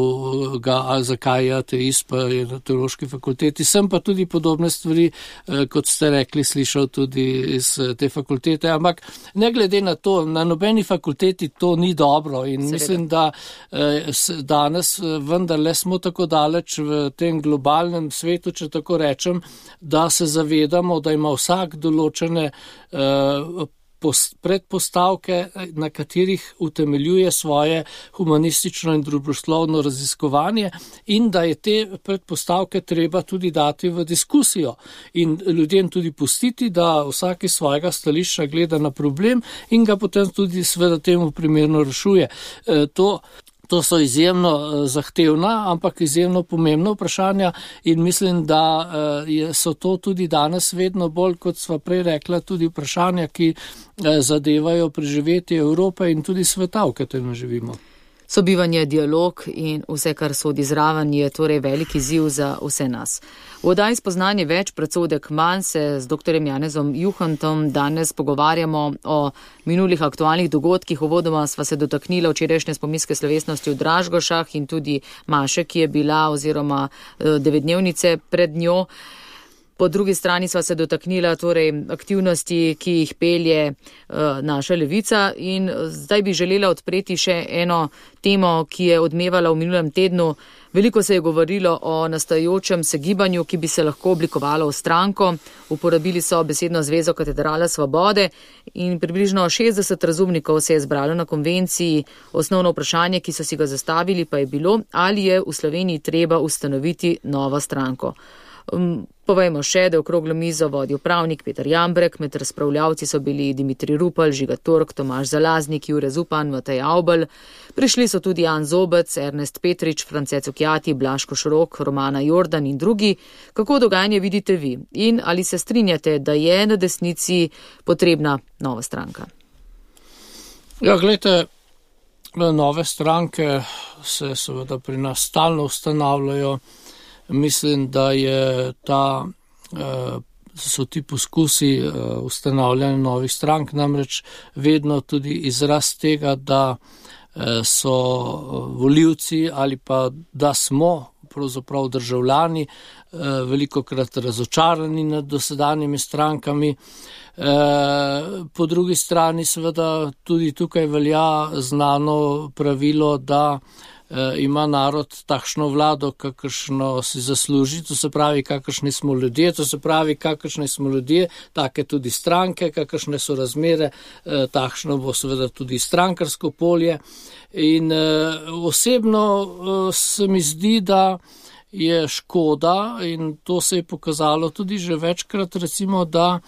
ga, zakaj je ateist, pa je na teološki fakulteti. Sem pa tudi podobne stvari, uh, kot ste rekli, slišal tudi iz te fakultete, ampak ne glede na to, na nobeni fakulteti to ni dobro in Seveda. Mislim, da eh, danes vendarle smo tako daleč v tem globalnem svetu, če tako rečem, da se zavedamo, da ima vsak določene eh, predpostavke, na katerih utemeljuje svoje humanistično in družboslovno raziskovanje in da je te predpostavke treba tudi dati v diskusijo in ljudem tudi pustiti, da vsak iz svojega stališča gleda na problem in ga potem tudi seveda temu primerno rešuje. E, to To so izjemno zahtevna, ampak izjemno pomembna vprašanja in mislim, da so to tudi danes vedno bolj, kot sva prej rekla, tudi vprašanja, ki zadevajo preživetje Evrope in tudi sveta, v katerem živimo. Sobivanje, dialog in vse, kar sodi zraven, je torej veliki izziv za vse nas. V oddaji Spoznanje več, predsodek manj se z doktorjem Janezom Juhantom danes pogovarjamo o minulih aktualnih dogodkih. Uvodoma sva se dotaknila včerajšnje spominske slovesnosti v Dražgošah in tudi maše, ki je bila oziroma devetdnevnice pred njo. Po drugi strani sva se dotaknila torej aktivnosti, ki jih pelje uh, naša levica in zdaj bi želela odpreti še eno temo, ki je odmevala v minulem tednu. Veliko se je govorilo o nastajajočem se gibanju, ki bi se lahko oblikovalo v stranko. Uporabili so besedno zvezo Katedrala svobode in približno šestdeset razumnikov se je zbralo na konvenciji. Osnovno vprašanje, ki so si ga zastavili, pa je bilo, ali je v Sloveniji treba ustanoviti novo stranko. Um, Povejmo še, da je okroglo mizo vodil pravnik Peter Jambrek, med razpravljavci so bili Dimitrij Rupel, Žiga Turk, Tomaž Zalaznik, Jure Zupan, Matej Avbelj. Prišli so tudi Jan Zobec, Ernest Petrič, France Cukjati, Blaško Šrok, Romana Jordan in drugi. Kako dogajanje vidite vi? In ali se strinjate, da je na desnici potrebna nova stranka? Ja, gledajte, nove stranke se seveda pri nas stalno ustanavljajo. Mislim, da je ta, so ti poskusi ustanavljanja novih strank namreč vedno tudi izraz tega, da so volivci ali pa da smo pravzaprav državljani velikokrat razočarani nad dosedanjimi strankami. Po drugi strani seveda tudi tukaj velja znano pravilo, da ima narod takšno vlado, kakršno si zasluži, to se pravi, kakršni smo ljudje, to se pravi, kakršni smo ljudje, take tudi stranke, kakršne so razmere, takšno bo seveda tudi strankarsko polje. In osebno se mi zdi, da je škoda in to se je pokazalo tudi že večkrat, recimo, da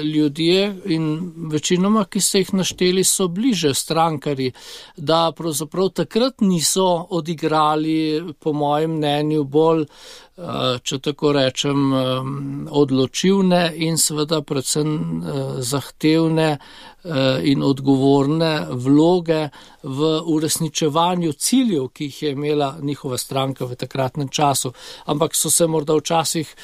ljudje in večinoma, ki ste jih našteli, so bliže strankarji, da pravzaprav takrat niso odigrali, po mojem mnenju, bolj, če tako rečem, odločilne in seveda predvsem zahtevne in odgovorne vloge v uresničevanju ciljev, ki jih je imela njihova stranka v takratnem času. Ampak so se morda včasih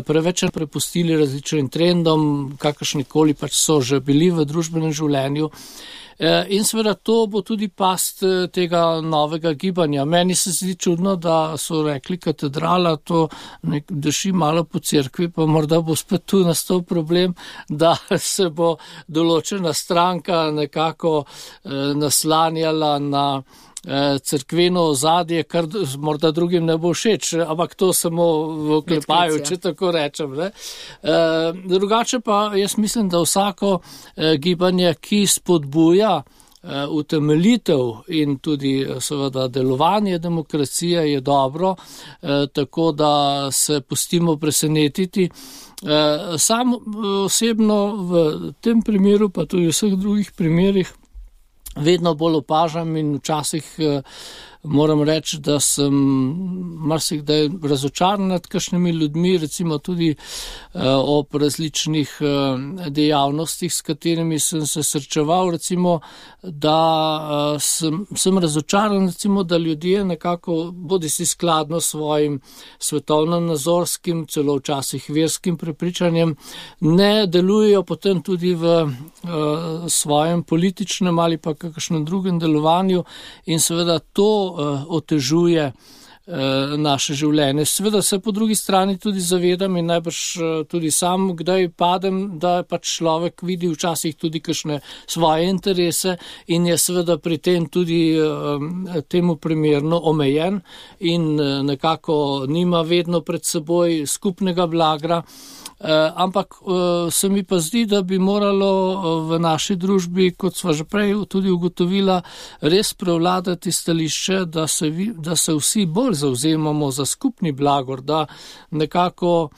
preveč prepustili različnim trendom, kakršnikoli pač so že bili v družbenem življenju. In seveda to bo tudi past tega novega gibanja. Meni se zdi čudno, da so rekli katedrala, to drži malo po cerkvi, pa morda bo spet tu nastal problem, da se bo določena stranka nekako naslanjala na cerkveno ozadje, kar morda drugim ne bo všeč, ampak to samo v oklepaju, če tako rečem. Ne. Drugače pa jaz mislim, da vsako gibanje, ki spodbuja utemeljitev in tudi seveda delovanje demokracije je dobro, tako da se pustimo presenetiti. Sam osebno v tem primeru, pa tudi v vseh drugih primerih, vedno bolj opažam in včasih moram reči, da sem marsikdaj razočaran nad kakšnimi ljudmi, recimo tudi ob različnih dejavnostih, s katerimi sem se srečeval, recimo, da sem, sem razočaran, recimo, da ljudje nekako bodi si skladno svojim svetovno-nazorskim, celo včasih verskim prepričanjem, ne delujejo potem tudi v svojem političnem ali pa kakšnem drugem delovanju in seveda to otežuje naše življenje. Seveda se po drugi strani tudi zavedam in najbrž tudi sam, kdaj padem, da pač človek vidi včasih tudi kakšne svoje interese in je seveda pri tem tudi temu primerno omejen in nekako nima vedno pred seboj skupnega blagra. Uh, ampak uh, se mi pa zdi, da bi moralo uh, v naši družbi, kot sva že prej tudi ugotovila, res prevladati stališče, da se, vi, da se vsi bolj zavzemamo za skupni blagor, da nekako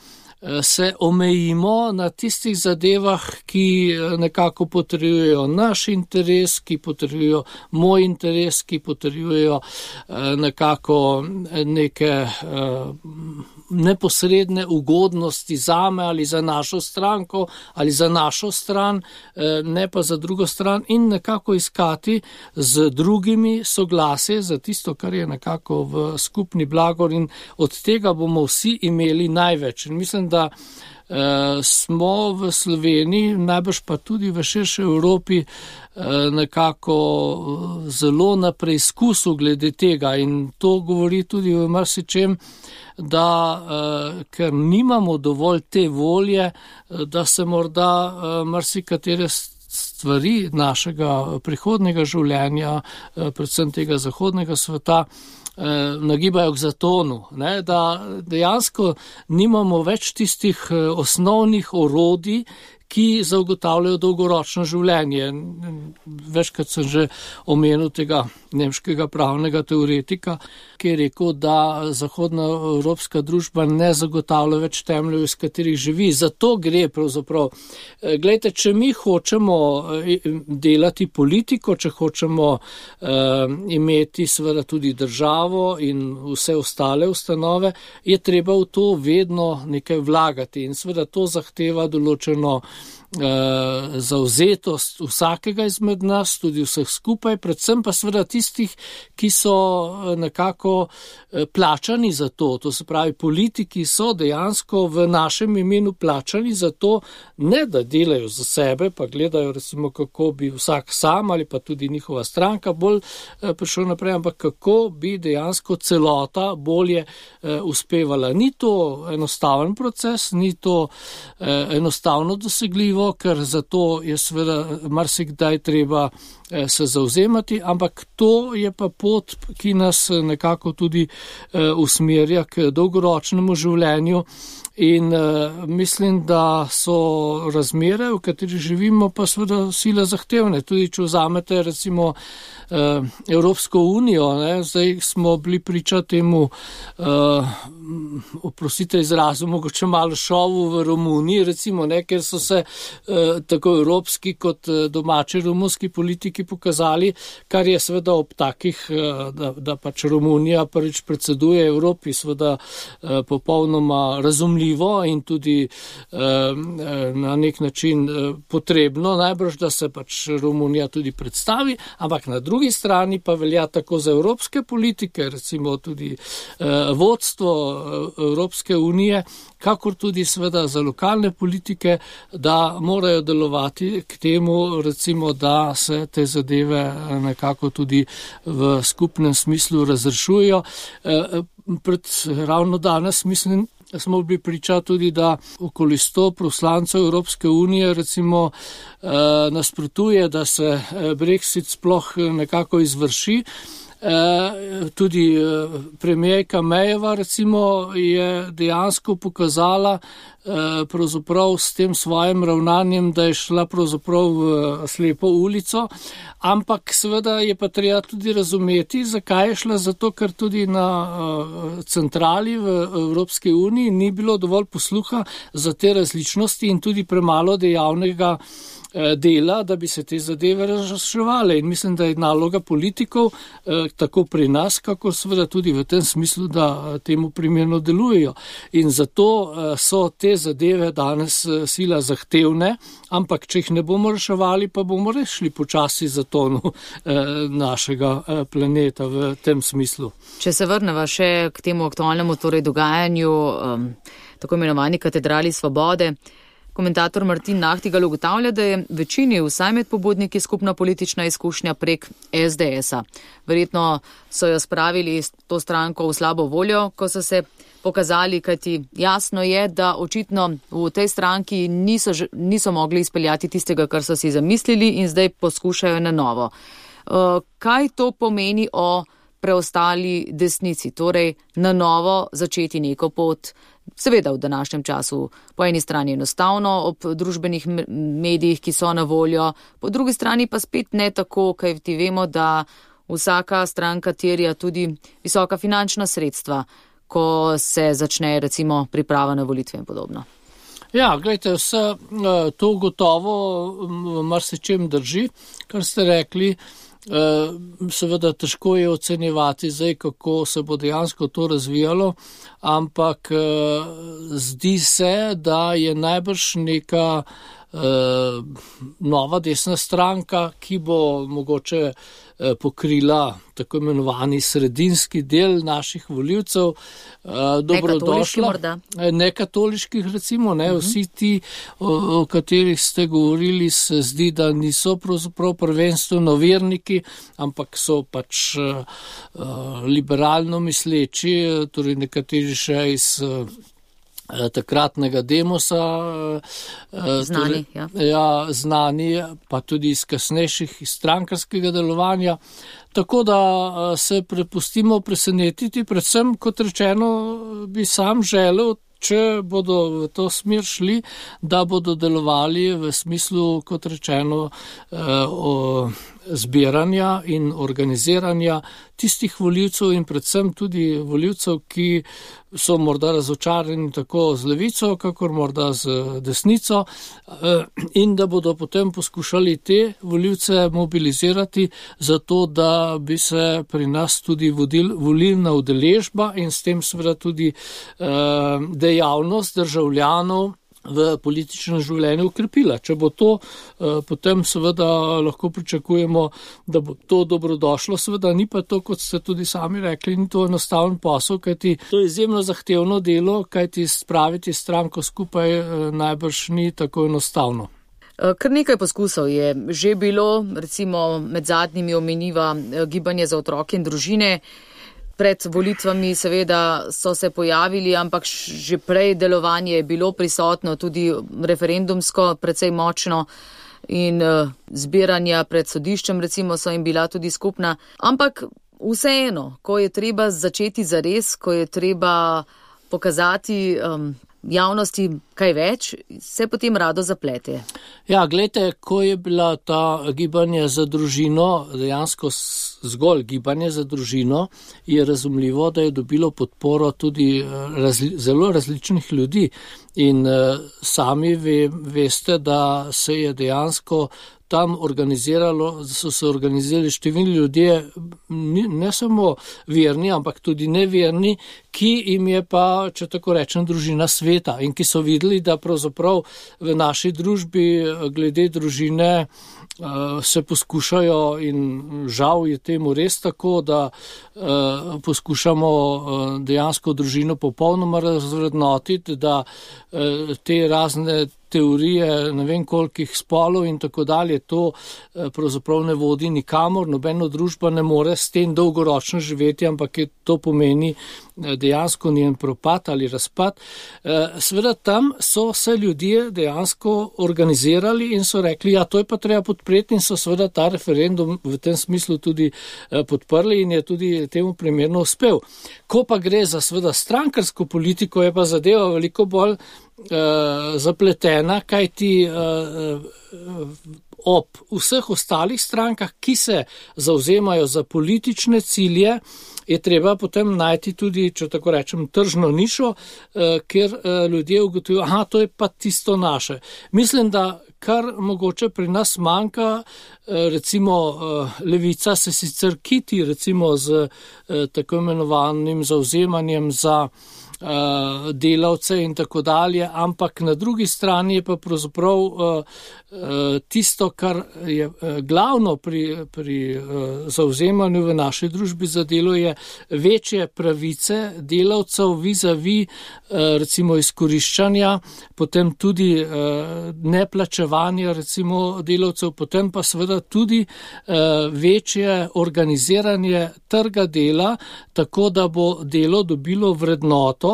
se omejimo na tistih zadevah, ki nekako potrjujejo naš interes, ki potrjujejo moj interes, ki potrjujejo nekako neke neposredne ugodnosti zame ali za našo stranko ali za našo stran, ne pa za drugo stran in nekako iskati z drugimi soglasje za tisto, kar je nekako v skupni blagor in od tega bomo vsi imeli največ. In mislim, da uh, smo v Sloveniji, najbrž pa tudi v širši Evropi, uh, nekako zelo na preizkusu glede tega in to govori tudi v marsičem, da uh, ker nimamo dovolj te volje, da se morda uh, marsikatere stvari našega prihodnega življenja, uh, predvsem tega zahodnega sveta, nagibajo k zatonu, ne, da dejansko nimamo več tistih osnovnih orodij, ki zagotavljajo dolgoročno življenje. Večkrat sem že omenil tega nemškega pravnega teoretika, ki je rekel, da zahodna evropska družba ne zagotavlja več temeljev, iz katerih živi. Zato gre pravzaprav. Glejte, če mi hočemo delati politiko, če hočemo uh, imeti seveda tudi državo in vse ostale ustanove, je treba v to vedno nekaj vlagati in seveda to zahteva določeno zavzetost vsakega izmed nas, tudi vseh skupaj, predvsem pa seveda tistih, ki so nekako plačani za to. To se pravi, politiki so dejansko v našem imenu plačani za to, ne da delajo za sebe, pa gledajo recimo, kako bi vsak sam ali pa tudi njihova stranka bolj prišel naprej, ampak kako bi dejansko celota bolje uspevala. Ni to enostaven proces, ni to enostavno dosegljivo, ker zato je seveda marsikdaj treba se zavzemati, ampak to je pa pot, ki nas nekako tudi usmerja k dolgoročnemu življenju in mislim, da so razmere, v kateri živimo, pa seveda sila zahtevne. Tudi če vzamete recimo Evropsko unijo, ne, zdaj smo bili priča temu, uh, oprostite izrazu, mogoče malo šovu v Romuniji, recimo, ne, ker so se uh, tako evropski kot domači romunski politiki pokazali, kar je seveda ob takih, uh, da, da pač Romunija prvič predseduje Evropi, seveda uh, popolnoma razumljivo in tudi uh, na nek način uh, potrebno, najbrž, da se pač Romunija tudi predstavi, ampak na drugi drugi strani pa velja tako za evropske politike, recimo tudi eh, vodstvo Evropske unije, kakor tudi seveda za lokalne politike, da morajo delovati k temu, recimo, da se te zadeve nekako tudi v skupnem smislu razrešujejo. Eh, pred ravno danes mislim, smo bili priča tudi, da okoli sto poslancev Evropske unije recimo nasprotuje, da se Brexit sploh nekako izvrši. Tudi premijerka Mejeva recimo je dejansko pokazala pravzaprav s tem svojim ravnanjem, da je šla pravzaprav v slepo ulico, ampak seveda je pa treba tudi razumeti, zakaj je šla, zato ker tudi na centrali v Evropski uniji ni bilo dovolj posluha za te različnosti in tudi premalo dejavnega dela, da bi se te zadeve razreševale. In mislim, da je naloga politikov tako pri nas, kako seveda tudi v tem smislu, da temu primerno delujejo. In zato so te zadeve danes sila zahtevne, ampak če jih ne bomo reševali, pa bomo rešili počasi zatonu našega planeta v tem smislu. Če se vrneva še k temu aktualnemu torej dogajanju, um, tako imenovani katedrali svobode, komentator Martin Nahtigal ugotavlja, da je večini vsaj med pobudniki skupna politična izkušnja prek es de esa. Verjetno so jo spravili to stranko v slabo voljo, ko so se pokazali, kajti jasno je, da očitno v tej stranki niso, niso mogli izpeljati tistega, kar so si zamislili in zdaj poskušajo na novo. Kaj to pomeni o preostali desnici, torej na novo začeti neko pot? Seveda v današnjem času po eni strani enostavno ob družbenih medijih, ki so na voljo, po drugi strani pa spet ne tako, kaj ti vemo, da vsaka stranka terja tudi visoka finančna sredstva, ko se začne recimo priprava na volitve in podobno. Ja, gledajte, vse to gotovo marsičem drži, kar ste rekli. Seveda težko je ocenjevati zdaj, kako se bo dejansko to razvijalo, ampak zdi se, da je najbrž neka nova desna stranka, ki bo mogoče pokrila tako imenovani sredinski del naših volivcev, dobrodošla. Nekatoliških recimo, ne, uh-huh. Vsi ti, o, o katerih ste govorili, se zdi, da niso pravzaprav prvenstveno verniki, ampak so pač uh, liberalno misleči, torej nekateri še iz takratnega demosa, znani, torej, ja. Ja, znani, pa tudi iz kasnejših iz strankarskega delovanja. Tako da se prepustimo presenetiti, predvsem, kot rečeno, bi sam želel, če bodo v to smer šli, da bodo delovali v smislu, kot rečeno, o zbiranja in organiziranja tistih volivcev in predvsem tudi volivcev, ki so morda razočarani tako z levico, kakor morda z desnico, in da bodo potem poskušali te volivce mobilizirati zato, da bi se pri nas tudi vodil, volilna udeležba in s tem seveda tudi dejavnost državljanov v političnem življenju ukrepila. Če bo to, potem seveda lahko pričakujemo, da bo to dobrodošlo. Seveda ni pa to, kot ste tudi sami rekli, ni to enostaven posel, kajti to je izjemno zahtevno delo, kajti spraviti stranko skupaj najbrž ni tako enostavno. Kar nekaj poskusov je že bilo, recimo med zadnjimi omeniva Gibanje za otroke in družine. Pred volitvami seveda so se pojavili, ampak že prej delovanje je bilo prisotno, tudi referendumsko precej močno in zbiranja pred sodiščem recimo so jim bila tudi skupna. Ampak vseeno, ko je treba začeti zares, ko je treba pokazati um, javnosti kaj več, se potem rado zaplete. Ja, gledajte, ko je bila ta gibanje za družino, dejansko zgolj gibanje za družino, je razumljivo, da je dobilo podporo tudi razli, zelo različnih ljudi in uh, sami ve, veste, da se je dejansko tam organiziralo, so se organizirali številni ljudje, ne samo verni, ampak tudi neverni, ki jim je pa, če tako rečem, družina sveta in ki so videli, da pravzaprav v naši družbi glede družine se poskušajo in žal je temu res tako, da poskušamo dejansko družino popolnoma razvrednotiti, da te razne teorije ne vem kolikih spolov in tako dalje, to pravzaprav ne vodi nikamor, nobeno družba ne more s tem dolgoročno živeti, ampak je to pomeni dejansko njen propad ali razpad. Seveda tam so se ljudje dejansko organizirali in so rekli, ja, to je pa treba podpreti in so seveda ta referendum v tem smislu tudi podprli in je tudi temu primerno uspel. Ko pa gre za seveda strankarsko politiko, je pa zadeva veliko bolj uh, zapletena, kajti uh, ob vseh ostalih strankah, ki se zauzemajo za politične cilje, je treba potem najti tudi, če tako rečem, tržno nišo, uh, kjer uh, ljudje ugotovijo, aha, to je pa tisto naše. Mislim, da kar mogoče pri nas manjka, recimo levica se sicer kiti recimo z tako imenovanim zauzemanjem za delavce in tako dalje, ampak na drugi strani je pa pravzaprav tisto, kar je glavno pri, pri zauzemanju v naši družbi za delo, je večje pravice delavcev vis-a-vis recimo izkoriščanja, potem tudi neplačevanja recimo delavcev, potem pa seveda tudi večje organiziranje trga dela, tako da bo delo dobilo vrednoto,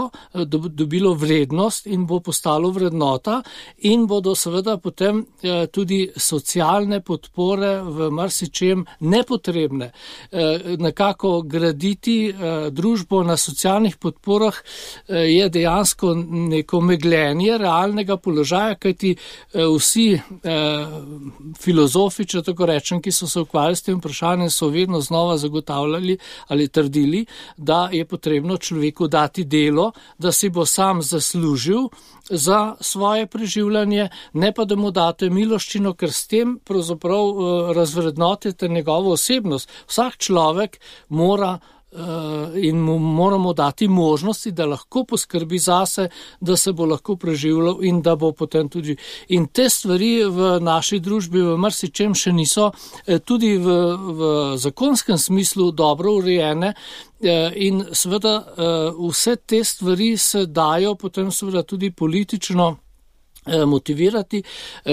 dobilo vrednost in bo postalo vrednota in bodo seveda potem tudi socialne podpore v marsičem nepotrebne. Nekako graditi družbo na socialnih podporah je dejansko neko megljenje realnega položaja, kajti vsi filozofi, če tako rečem, ki so se ukvarjali s tem vprašanjem, so vedno znova zagotavljali ali trdili, da je potrebno človeku dati delo, da si bo sam zaslužil za svoje preživljanje, ne pa da mu date miloščino, ker s tem pravzaprav razvrednotite njegovo osebnost. Vsak človek mora in mu moramo dati možnosti, da lahko poskrbi zase, da se bo lahko preživljal in da bo potem tudi. In te stvari v naši družbi v marsičem še niso tudi v, v zakonskem smislu dobro urejene in seveda vse te stvari se dajo potem seveda tudi politično motivirati.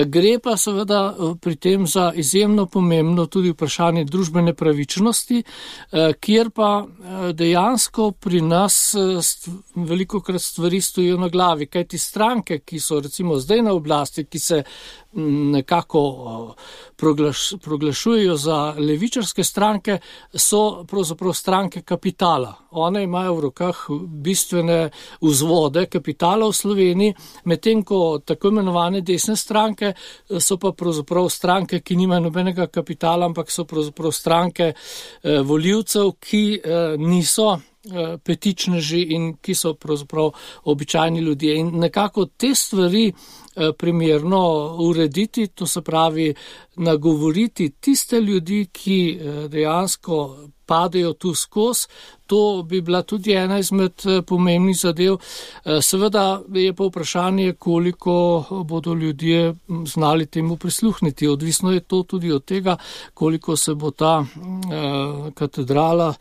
Gre pa seveda pri tem za izjemno pomembno tudi vprašanje družbene pravičnosti, kjer pa dejansko pri nas velikokrat stvari stojijo na glavi, kajti stranke, ki so recimo zdaj na oblasti, ki se nekako proglaš, proglašujejo za levičarske stranke, so pravzaprav stranke kapitala. One imajo v rokah bistvene vzvode kapitala v Sloveniji, medtem ko tako imenovane desne stranke so pa pravzaprav stranke, ki nimajo nobenega kapitala, ampak so pravzaprav stranke eh, voljivcev, ki eh, niso eh, petičneži in ki so pravzaprav običajni ljudje. In nekako te stvari primerno urediti, to se pravi nagovoriti tiste ljudi, ki dejansko padejo tu skozi, to bi bila tudi ena izmed pomembnih zadev. Seveda je pa vprašanje, koliko bodo ljudje znali temu prisluhniti. Odvisno je to tudi od tega, koliko se bo ta katedrala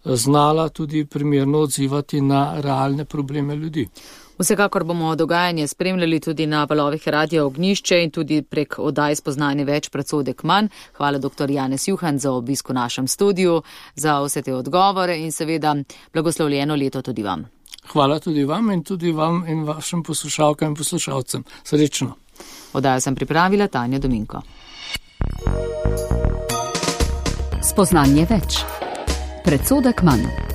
znala tudi primerno odzivati na realne probleme ljudi. Vsekakor bomo dogajanje spremljali tudi na valovih Radia Ognjišče in tudi prek oddaj Spoznanje več, predsodek manj. Hvala doktor Janez Juhan za obisk v našem studiu, za vse te odgovore in seveda blagoslovljeno leto tudi vam. Hvala tudi vam in tudi vam in vašim poslušalkam in poslušalcem. Srečno. Oddajo sem pripravila Tanja Dominko. Spoznanje več, predsodek manj.